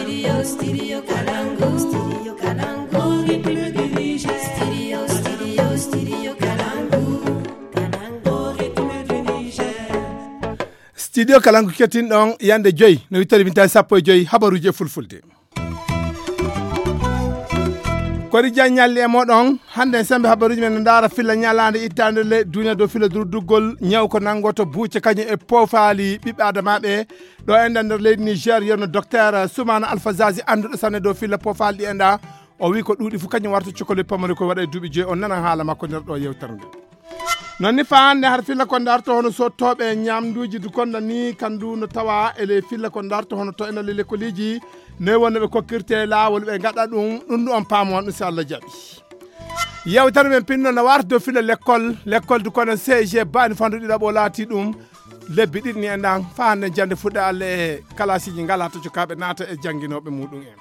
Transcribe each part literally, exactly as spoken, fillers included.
Studio, studio Kalangu, studio Kalangu, rythme du Niger. Studio, studio, studio Kalangu, Kalangu, rythme du Niger. Studio Kalangu kettin ɗon yande joyi, no wittari min tawi sappo e joyi habaruji e fulfulde. Kori Diagne ñalli e moɗon. Hannde en sembe habaruji men no ndaara filla ñalaande ittaande le duniya dow filla durduggol ñaw ko nanngoto buuce kañum e poofaali ɓiɓɓe adamaaɓe. Ɗo enɗan nder leydi Niger, yerno docteur Soumana Alpha Zazi, annduɗo sanne dow filla poofaali ɗi enɗa. O wi ko ɗuuɗi fof kañum warta cokoli pamari ko waɗa e duuɓi joyi. On nanan haala makko nder ɗo yewtere nde. Non ni fa hannde har filla ko darto hono sottooɓe ñamduuji du konda ni kandu no tawa e ley filla ko darto hono to ena ley lekkoliji ne wonno ɓe kokkirte laawol ɓe ngaɗa ɗum, ɗum ɗum on paamo on ɗum si Allah jaɓi. Yewtere men pinno no warta dow filla lekkol, lekkol du kono C G bani fandu ɗiɗaɓo laati ɗum lebbi ɗiɗi ni e ndan fa hannde jande fuɗɗa Allah e kalasiji ngala to cukaaɓe naata e jannginooɓe muɗum en.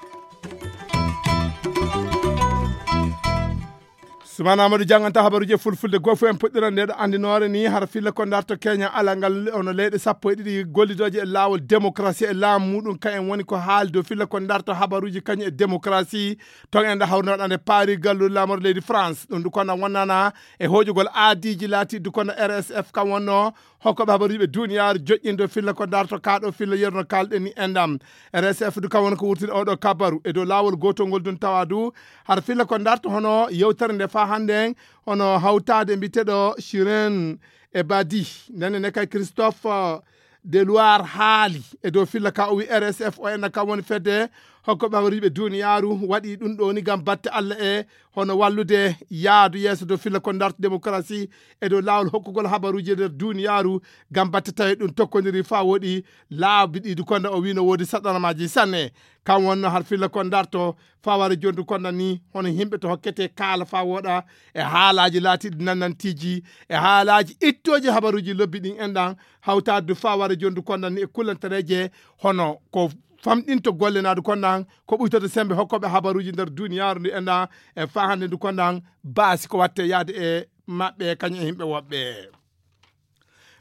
Sumana Amadou jannganta habaruji e fulfulde goo fof en puɗɗiran nde ɗo anndinoore ni hara filla ko darto Kenya ala ngal ono leyɗe sappo e ɗiɗi gollidooje e laawol démocratie e laamu muɗum ka en woni ko haali dow filla ko darto habaruji kañum e démocratie ton en ɗo hawrinoɗa nde paari galluɗo laamoro leydi France ɗum du kono wonnana e hoƴugol aadiji laatiɗi du kono R S F kam wonno hokkoɓe habaruji ɓe duniyaaru joƴƴinde filla ko darto kaɗo filla yerno kalɗen ni endam. R S F du kam woni ko wurtini oɗo kabaru e dow laawol gotol ngol dun tawa du har filla ko darto hono yewtere nde fa hannde en hono hawtaade mbiteɗo Shiren e Badi ndenne ne kay Christophe de Loire haali e dow filla ka o wi R S F o enna kam woni fedde hokkoɓe habaruji ɓe duniyaaru waɗi ɗum ɗo ni ngam batte Allah e hono wallude yaadu yeeso dow filla ko darto démocratie e dow laawol hokkugol habaruji e nder duniyaaru ngam batte tawi ɗum tokkodiri fa woɗi laabi ɗiɗi konda o wino woodi saɗanamaji sanne. Kam wonno har filla ko darto faware jondu konda ni hono yimɓe to hokkete kaala fa woɗa e haalaji laatiɗi nannantiji e haalaji ittoji habaruji lobbi ɗin enɗan hawtade du faware jondu konda ni e kullantareje hono ko famɗinto golle naadu kondan ko ɓuytoto sembe hokkoɓe habaruji nder duniyaaru ndu enɗan e fa hannde ndu kondan baasi ko watte yaade e maɓɓe kañum e yimɓe woɓɓe.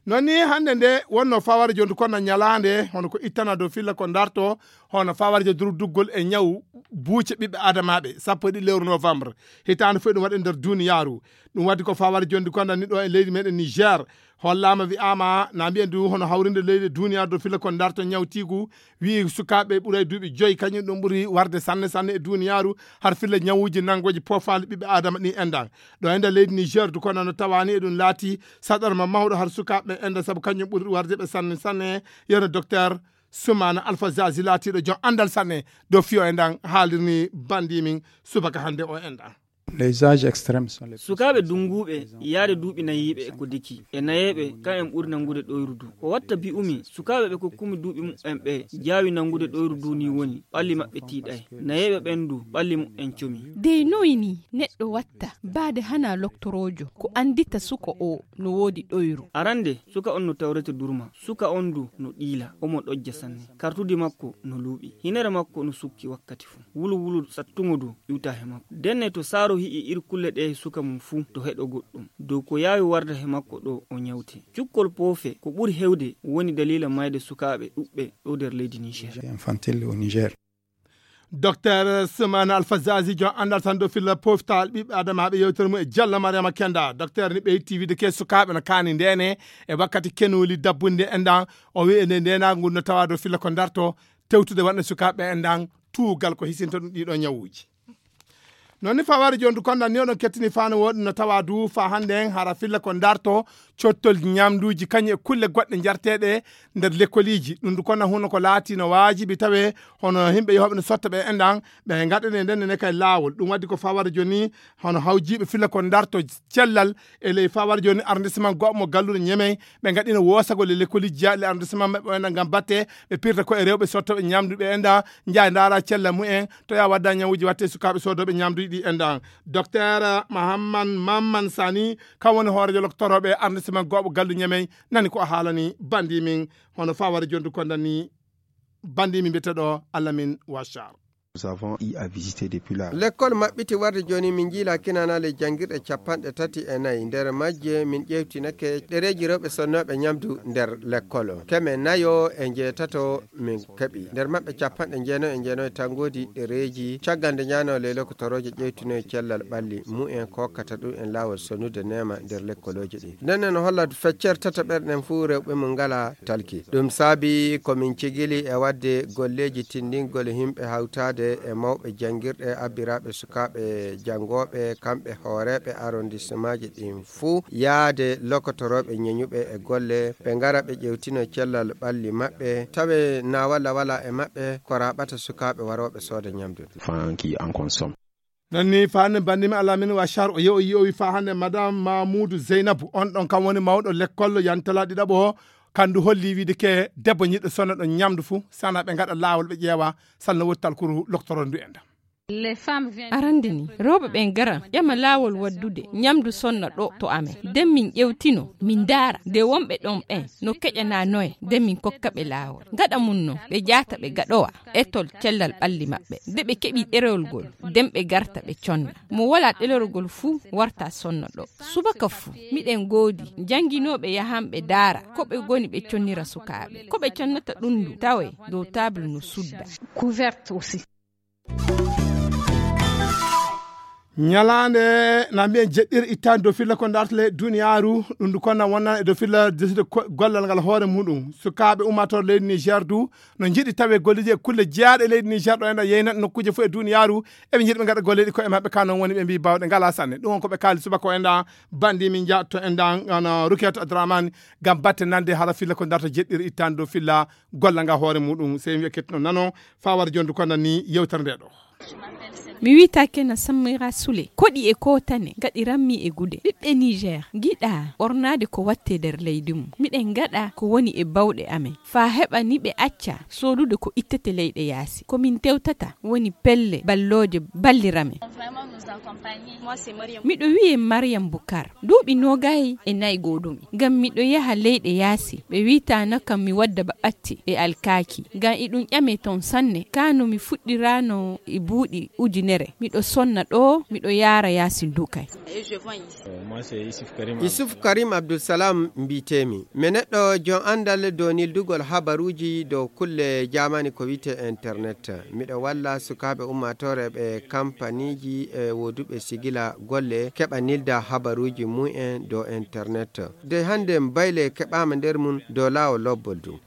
Non ni hannde nde wonno faware jondu kondan ñalaande hono ko ittana dow filla ko darto hono faware jo durduggol e ñaw buuce ɓiɓɓe adamaɓe sappo e ɗiɗi lewru novembre hitaande fof ɗum waɗi nder duniyaaru. Ɗum waddi ko faware jondu kondan ni ɗo e leydi meɗen Niger hollama wi'ama na mbiyen du hono hawrinde leyɗe duniyaaru dow filla ko darto ñawtigu wi sukaaɓe ɓuray duuɓi joyi kañum ɗum ɓuri warde sanne sanne e duniyaaru har filla ñawuji nanngoji poofaali ɓiɓɓe adama ɗi enɗan. Ɗo e nder leydi Niger du kono no tawani e ɗum laati saɗarma mawɗo har sukaaɓe ɓen enɗan sabu kañum ɓuri warde ɓe sanne sanne. Yeno docteur Soumana Alpha Zazi laatiɗo joom anndal sanne dow fiyo enɗan haalirni bandi min subaka hannde o enɗan. Les âges extrêmes sont les plus sukaaɓe dunguuɓe yaade duuɓi nayiiɓe e ko diki e nayeeɓe ka en ɓuri nanngude ɗoyru du ko watta bi'umi sukaaɓe ɓe kokkumi duuɓi muɓɓen ɓe jaawi nanngude ɗoyru du ni woni ɓalli maɓɓe tiiɗay nayeeɓe ɓen du ɓalli muɓɓen comi. Dey noy ni neɗɗo watta baade hana loktoroojo ko anndita suka o no woodi ɗoyru? Arande suka on no tawrete durma suka on du no ɗiila omo ɗojja sanne kartudi makko no luuɓi hinere makko no sukki wakkati fuu wulu wulu sattuŋo du iwta he makko denne to saaro hi'i ir kulle ɗe he suka mum fuu to heɗo goɗɗum dow ko yaawi warda he makko ɗo o ñawte cukkol poofe ko ɓuri hewde woni daliila mayde sukaaɓe ɗuɓɓe ɗo nder leydi Niger. Infantile au Niger. Docteur Soumana Alpha Zazi jon anndal tan dow filla poftal ɓiɓɓe adamaaɓe yewtere mum e Diallo Mariama Kenda docteur ni ɓe yetti wiide ke sukaaɓe no kaani ndene e wakkati kenoli dabbunde enɗan o wi ene ndenagu no tawa dow filla ko darto tewtude wonde sukaaɓe enɗan tuugal ko hisinta ɗum ɗiɗo ñawuji. Non ni faware joni du kondan ni oɗon kettini fano woɗi no tawa du fa hannde en hara filla ko darto cottol ñamduji kañum e kulle goɗɗe jarteɗe nder lekkoliji ɗum du konna huno ko laati no waajibi tawe hono yimɓe yehooɓe no sotta ɓe enɗan ɓe gaɗane nden ne kay laawol ɗum waddi ko faware joni hono hawjiɓe filla ko darto cellal e ley faware joni arrondissement goɓɓe mo galluɗo ñemey ɓe gaɗino wosagol e lekkoliji jaaɗi le arrondissement maɓɓe o enɗan gam batte ɓe pirta ko e rewɓe sottoɓe ñamdu ɓe enɗan jaa ndara cellal mumen to ya wadda ñawuji watte sukaaɓe sodoɓe ñamduji ɗi enɗan. Docteur Mahamman Mamman Sani kam woni hoorejo loktoroɓe arrondissement goɓɓo gallu ñemey nani ko o haalani bandi min hono faware jondu kondan ni bandi min mbiyeteɗo Alamin Wachar. Nous avons eu à visiter depuis là. Lekkol maɓɓiti warde jooni, min njiila kinanaale jannguirɗe capanɗe tati e nayi. Nder majje min ƴeewtinake ɗereeji rewɓe sonnooɓe ñamdu nder lekkol o. Keme nayo e njeetato min keɓi. Nder maɓɓe capanɗe jeenayo e jeenayo tan ngoodi ɗereeji caggal nde ñaano ley lokotorooje ƴeewtinoye cellal ɓalli mumen kokkata ɗum en laawol sonnude neema nder lekkolooji ɗi. Nden en holla feccere tataɓere ɗen fuu rewɓe mum ngalaa talki. Ɗum saabi ko min cigili e waɗde golleeji tinndingol yimɓe hawtaade e mawɓe janngirɗe, abbiraaɓe sukaaɓe janngooɓe, kamɓe hooreeɓe arrondissemaaji ɗin fuu, yaade lokotorooɓe ñeñuɓe e golle, ɓe ngara ɓe ƴeewtino cellal ɓalli maɓɓe, tawe na walla wala e maɓɓe ko raaɓata sukaaɓe warooɓe sooda ñamdu. Fanki en consomme. Non ni fa hannde banndi mi Alamin Washar o yewi, yewi fa hannde Madame Mamoudou Zeynabou, on ɗon kam woni mawɗo lekkol yantala ɗiɗaɓo o, kandu holli wiide ke debbo ñiɗɗo sonna ɗon ñamdu fuu, sana ɓe ngaɗa laawol ɓe ƴeewa, salno woni talkuru loktorondu en ɗam. Arande ni, rewɓe ɓen ngara, ƴama laawol waddude ñamdu sonna ɗo to amen. Nden min ƴewtino, min ndaara, nde wonɓe ɗon ɓen no keƴanaa noye, nden min kokka ɓe laawol. Gaɗa mum non, ɓe jaata ɓe gaɗowa etol cellal ɓalli maɓɓe. Nde ɓe keɓi ɗerewol ngol, nden ɓe garta ɓe conna. Mo walaa ɗerewol ngol fuu warta sonna ɗo. Subaka fuu, miɗen ngoodi jannginooɓe yahanɓe ndaara ko ɓe ngoni ɓe connira sukaaɓe. Ko ɓe connata ɗum ndu tawee dow table no sudda. Ñalaande na mbiyen jeɗɗiri ittaani dow filla ko ndarta ley duniyaaru, ɗum ndu konna wonnan e dow filla deside ko-, gollal ngal hoore muɗum. Sukaaɓe ummaatooɓe leydi Niger du no njiɗi tawe golleeji e kulle jeyaaɗe leydi Niger ɗo enda yeynat nokkuuje fof e duniyaaru, eɓe njiɗi ɓe ngaɗa golleeji koye maɓɓe, ka noon woni ɓe mbii baawɗe ngalaa sanne. Ɗum on ko ɓe kaali subaka o enda banndi min njaatto enda, ana Rukiyatou Abdourahmane, ngam batte nande hara filla ko ndarta jeɗɗiri ittaani dow filla golla nga hoore muɗum. Sey wiya kettuno nano, fa wara jondu ko nanni yewtere nde ɗo. Mi wiyetee Kena Samira Sule. Koɗi e kootane ngaɗiranmi e gude. Ɓiɓɓe Niger ngiɗaa ɓornaade ko watte nder leydi mum. Miɗen ngaɗa ko woni e bawɗe amen. Faa heɓa ni ɓe acca soodude ko ittete leyɗe yaasi. Ko min tewtata woni pelle ballooje balliramen. Miɗo wiyee Mariam Bukar. Duuɓi noogay e nayi gooduɗi. Ngam miɗo yaha leyɗe yaasi, ɓe wiitaano kam mi wadda ba ɓatti e alkaaki. Ngam iɗum ƴame toon sanne, kaa no mi fuɗɗiraano e buuɗi ujunere. Miɗo sonna ɗoo, miɗo yaara yaasi nduu kay. Yusuf Karim Abdulsalam mbiyetee-mi. Mi neɗɗo jom anndal dow nildugol habaruuji dow kulle jaamani ko wiyetee internet. Miɗo walla sukaaɓe ummaatoore ɓe kampaniiji e wooduɓe sigila golle keɓa nilda habaruuji mumen dow internet. De hannde bayle keɓaama nder mum dow laawol lobbol du.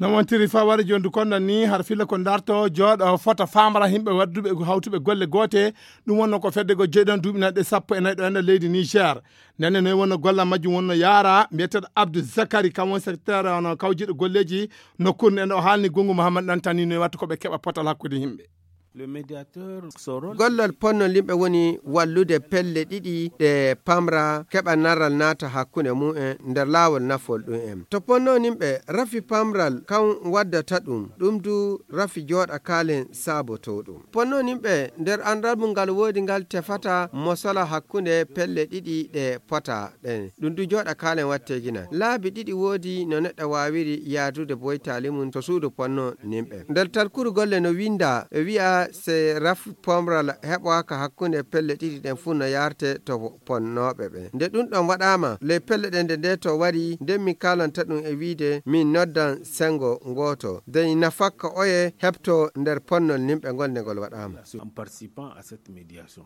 Non wontiri fa wari jondu konda ni har filla ko darto jooɗo fota famara yimɓe wadduɓe hawtuɓe golle goote. Ɗum wonno ko fedde go jeeɗon duuɓi nanɗe sappo e nayi ɗo enda leydi Niger. Nenne noy wonno golla majjum wonno yaara mbiyeteɗo Abdou Zakari, kam woni secrétaire ono kawjiɗo golleeji nokkuure nden. O haalni Gungu Mouhammad Dantani noy watta ko ɓe keɓa potal hakkude yimɓe. Gollol ponnol yimɓe woni wallude pelle ɗiɗi ɗe pamra keɓa naral naata hakkunde mumen nder laawol nafol ɗum en. To ponno yimɓe rafi pamral kan waddata ɗum, ɗum du rafi jooɗa kaalen saabotoo ɗum. Ponno yimɓe nder anndal mum ngal woodi ngal tefata mosola hakkunde pelle ɗiɗi ɗe pota ɗen. Ɗum du jooɗa kaalen watteeginal. Laabi ɗiɗi woodi no neɗɗo waawiri yaadude boytaali mum to suudu ponno nimɓe. Nder talkuru golle no winnda e wi'a se raf pomral heɓoaka hakkunde pelle ɗiɗi ɗen fuu no yaarte to ponnooɓe ɓe. Nde ɗum ɗon waɗaama, ley pelle ɗen nde nde to wari, nden mi kaalanta ɗum e wiide min noddan senngo ngooto. Dey nafakka oye heɓto nder ponnol nimɓe ngol nde ngol waɗaama. En participant à cette médiation.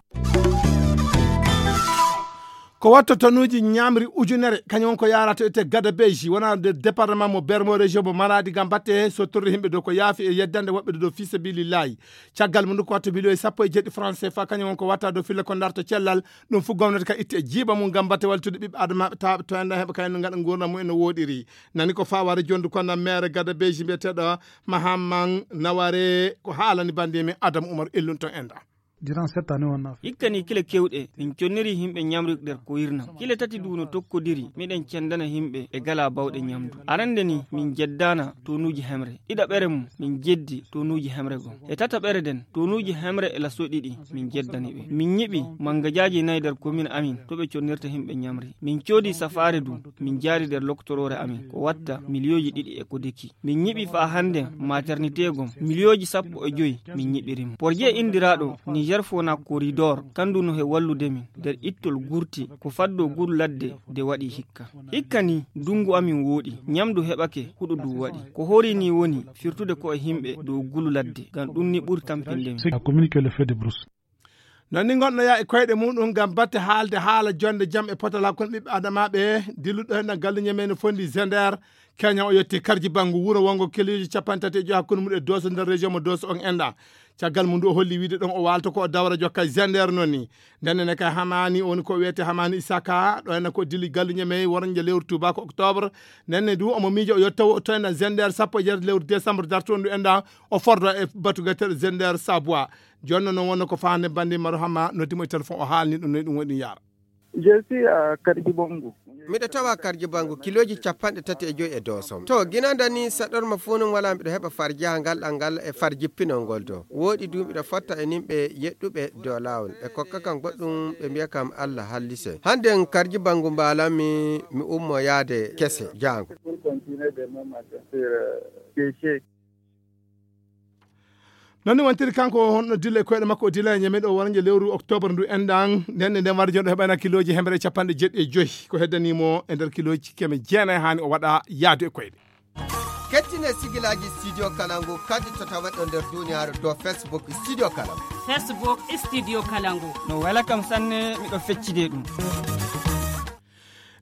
Ko watto tonuuji ñaamri ujunere, kañum won ko yaarata ete Gadabeji, wona nder département mo Bermo, région mo Maradi, ngam batte sottorde yimɓe dow ko yaafi e yeddande woɓɓe dow fi sabilillahi. Caggal mum ko watto miliyoŋ sappo e jeeɗiɗi francs C F A, kañum won ko watta dow filla ko darto cellal. Ɗum fof gomnati ka itti e jiiba mum ngam batte waltude ɓiɓɓe adamaaɓe tawɓe to enda heɓa kañum ngaɗa nguurndam mum en no wooɗiri. Nani ko faware jondu kono maire Gadabeji mbiyeteɗo Mahamman Naware ko haalani bandi men Adam Umar Ellun to enda. Durant cette année, on a fait. Hikka ni kile kewɗe, min conniri yimɓe ñamri nder ko wirnam. Kile tati du no tokkodiri, miɗen cendana yimɓe e gala bawɗe ñamdu. Arande ni, min jeddaana tonuuji hemre. Ɗiɗaɓere mum, min jeddi tonuuji hemre gom. E tataɓere den, tonuuji hemre e laso ɗiɗi, min jeddani ɓe. Min ñiɓi mangajaaji nayi nder komin amin, to ɓe connirta yimɓe ñamri. Min coodi safaare du, min jaari nder loktoroore amin, ko watta miliyooji ɗiɗi e ko deki. Min ñiɓi faa hande maternité gom, miliyooji sappo e joyi min ñiɓiri mo. Porje indiraaɗo Niger Fona Corridor, kandu no he wallude min nder ittol gurti, ko faddo guru ladde de waɗi hikka. Hikka ni, dungu amin wooɗi, ñamdu heɓake, huɗo du waɗi. Ko hori ni woni firtude ko e yimɓe dow gulu ladde, ngam ɗum ni ɓuri tampinde min. C'est la commune qui le fait de brousse. Non ni gonɗo yaa e koyɗe muɗum ngam batte haalde haala jonde jam e potal hakkunde ɓiɓɓe adamaaɓe dilluɗo heen ɗan galluñe men no fondi Zender. Keña o yetti karji banngu wuro wongo kiloji capanɗe tati e joyi hakkunde mum e Dooso nder région mo Dooso on enɗa. Caggal mum ndu o holli wiide ɗon o waalto ko o dawra jokka e Zender non ni. Nden ne kay Hamani woni ko wiyete Hamani Isaka ɗo henna ko dilli galluñe men woronje lewru tubako octobre. Nden ne du omo miijo o yettowo to henna Zender sappo e jeetati lewru décembre dartondu enɗa o fordo e batu gatel Zender Sabwa. Jooni noon wonno ko faande banndi Maru Hamma noddi mo e téléphone o haalni ɗum no ɗum woni yaara. Je suis à Karjibongo. Miɗo tawa Karjibongo kilooji capanɗe tati e joyi e Doosom. To ginanda ni saɗorma fuu non wala miɗo heɓa far jahangal ɗal ngal e far jippinol ngol do. Wooɗi du miɗo fotta e nimɓe yeɗɗuɓe dow laawol. Ɓe kokka kam goɗɗum ɓe mbiya kam Allah hallise. Hande en Karjibongo mbaalanmi mi ummo yaade kese jaango. Pour continuer demain matin sur, euh, Kéché. Non ni wontiri kanko honno dilla e koyɗe makko o dilla e ñameɗo o wonanje lewru octobre ndu enɗan nden nden warde jonɗo heɓana kiloji hemre capanɗe jeɗɗi e joyi ko heddanimo e nder kiloji keme jeenayi hani o waɗa yaadu e koyɗe. Kettine sigilaji studio kalangu kadi to tawaɗo nder duniyaaru do facebook studio kalangu. Facebook studio kalangu. No wela kam sanne miɗo feccide ɗum.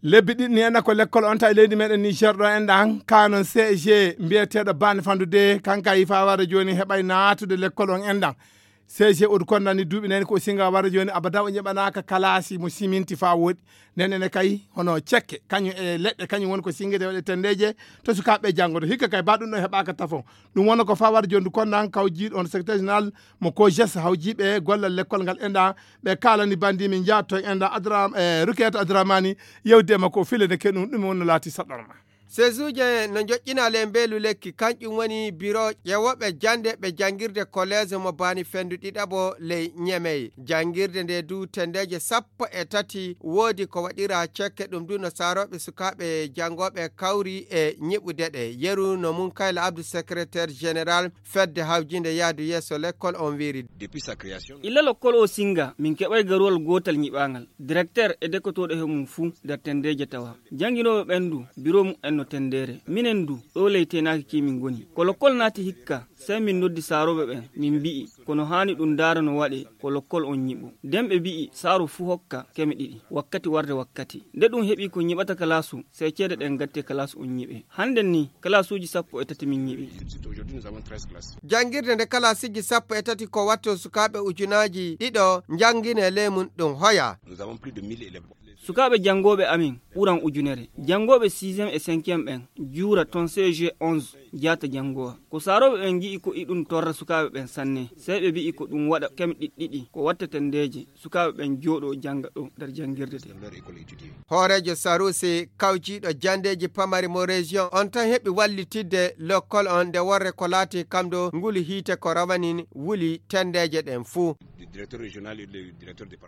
Lebbi ɗiɗi ni enɗa ko lekkol on tawi leydi meɗen Niger ɗo enɗa han ka non C G mbiyeteɗo bani fandude kanka yi fa wara joni heɓay natude lekkol on enɗa. C G odu kondani duuɓi nani ko singa wara joni abada o ñeɓanaka kalasi mo siminti fa woɗi. Nden ene kay hono cekke kañum e leɗɗe kañum woni ko singede waɗe tendeje to sukaɓe janngoto hikka kay ba ɗum ɗo heɓaka tafo. Ɗum wona ko fa wara joni du konnan kawjiɗo on secrétaire général mo kojes hawjiɓe gollal lekkol ngal enɗa. Ɓe kaalani bandi min jaatto en enɗa adra e ruketa adramani yewde makko o file ne keɗum ɗum wonno laati saɗɗorma. Sezuuje no njoƴƴina le mbeelu lekki kanƴum woni biro ƴewoɓe jande ɓe janngirde kolees mo baani fenndu ɗiɗaɓo ley ñemey. Janngirde nde du tendeeje sappo e tati woodi ko waɗira cekke ɗum du no saarooɓe sukaaɓe janngooɓe kawri e ñiɓude ɗe. Yeru no mum kayla abdu secrétaire général fedde hawjinde yahdu yeeso lekkol on wiiri. Illa lokkol o singa min keɓay garuwal gootal ñiɓaangal directeur e dekotooɗo he mum fuu nder tendeeje tawa jannginooɓe ɓen du biro mum en no tendeere minen du ɗo ley teenaaki ki min ngoni ko lokkol naati hikka sey min noddi saarooɓe ɓen min mbi'i kono haani ɗum ndaara no waɗe ko lokkol on ñiɓo nden ɓe mbi'i saaro fuu hokka keme ɗiɗi wakkati warde wakkati nde ɗum heɓi ko ñiɓata kalaasu sey ceede ɗen gatte kalaasu on ñiɓe hannden ni kalaasuuji sappo e tati min ñiɓi. Janngirde nde kalaasiji sappo e tati ko watto sukaaɓe ujunaaji ɗiɗo njanngine ley mum ɗum hoya. Sukaaɓe janngooɓe amin ɓuran ujunere janngooɓe sixième e cinquième ɓen juura ton cg onze jaata janngowa ko saarooɓe ɓen ngi'i ko iɗum torra sukaaɓe ɓen sanne sey ɓe mbi'i ko ɗum waɗa keme ɗiɗɗiɗi ko watta tendeeje sukaaɓe ɓen jooɗo jannga ɗo nder janngirde de. Hooreejo saruusi kawjiiɗo janndeeji pamari mo région on tan heɓi wallitidde lokkol on nde worre ko laati kam ɗo nguli hiite ko rawani wuli tendeeje ɗen fuu.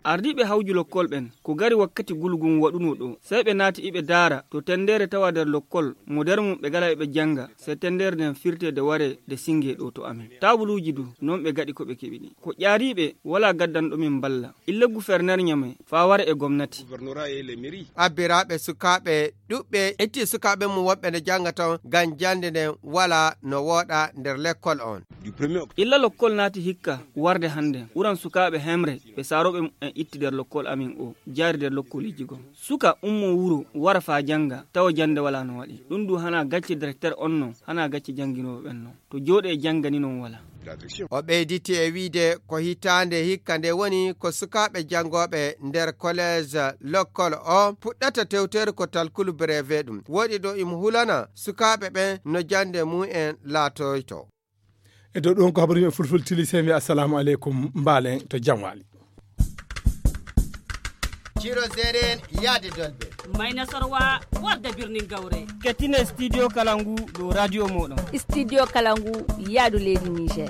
Ardiiɓe hawju lokkol ɓen ko gari wakkati gulgun waɗunoo ɗo sey ɓe naati iɓe daara to tendeere tawa nder lokkol mo nder mum ɓe gala eɓe jannga sey tendeere nden firtee de waree de singee ɗo to amin taabuluuji du non ɓe gaɗi ko ɓe keɓi ɗi ko ƴaariiɓe walaa gaddanɗo min mballa illa guferner ñame faa wara e gomnati. Abbiraaɓe sukaaɓe ɗuɓɓe itti sukaaɓe mum woɓɓe no jannga ton ngam jannde nden walaa no wooɗa nder lekkol on. Illa lokkol naati hikka warde hannden ɓuran sukaaɓe hemre ɓe saarooɓe mum en itti nder lokkol amin o jaari nder lokkoliji gom suka ummo wuro wara faa jannga tawa jannde walaa no waɗi ɗum du hanaa gacce directeur on non hanaa gacce jannginooɓe ɓen non to jooɗe e janngani non walaa. O ɓeyditi e wiide ko hitaande hikka nde woni ko sukaaɓe janngooɓe nder kolees lokkol o puɗɗata tewteede ko talkulu breve ɗum woɗi ɗo imo hulana sukaaɓe ɓen no jannde mum en laatoyto. E dow ɗum ko habaruji e fulfulde tili, sey mi wiya assalamu aleykum, mbaalen to jam waali. Ciro Zeren yaade Dolbe. Mayna Sorwa warda birnin Gawre. Kettine Studio Kalangu ɗo radio moɗon. Studio Kalangu yaadu leydi Niger.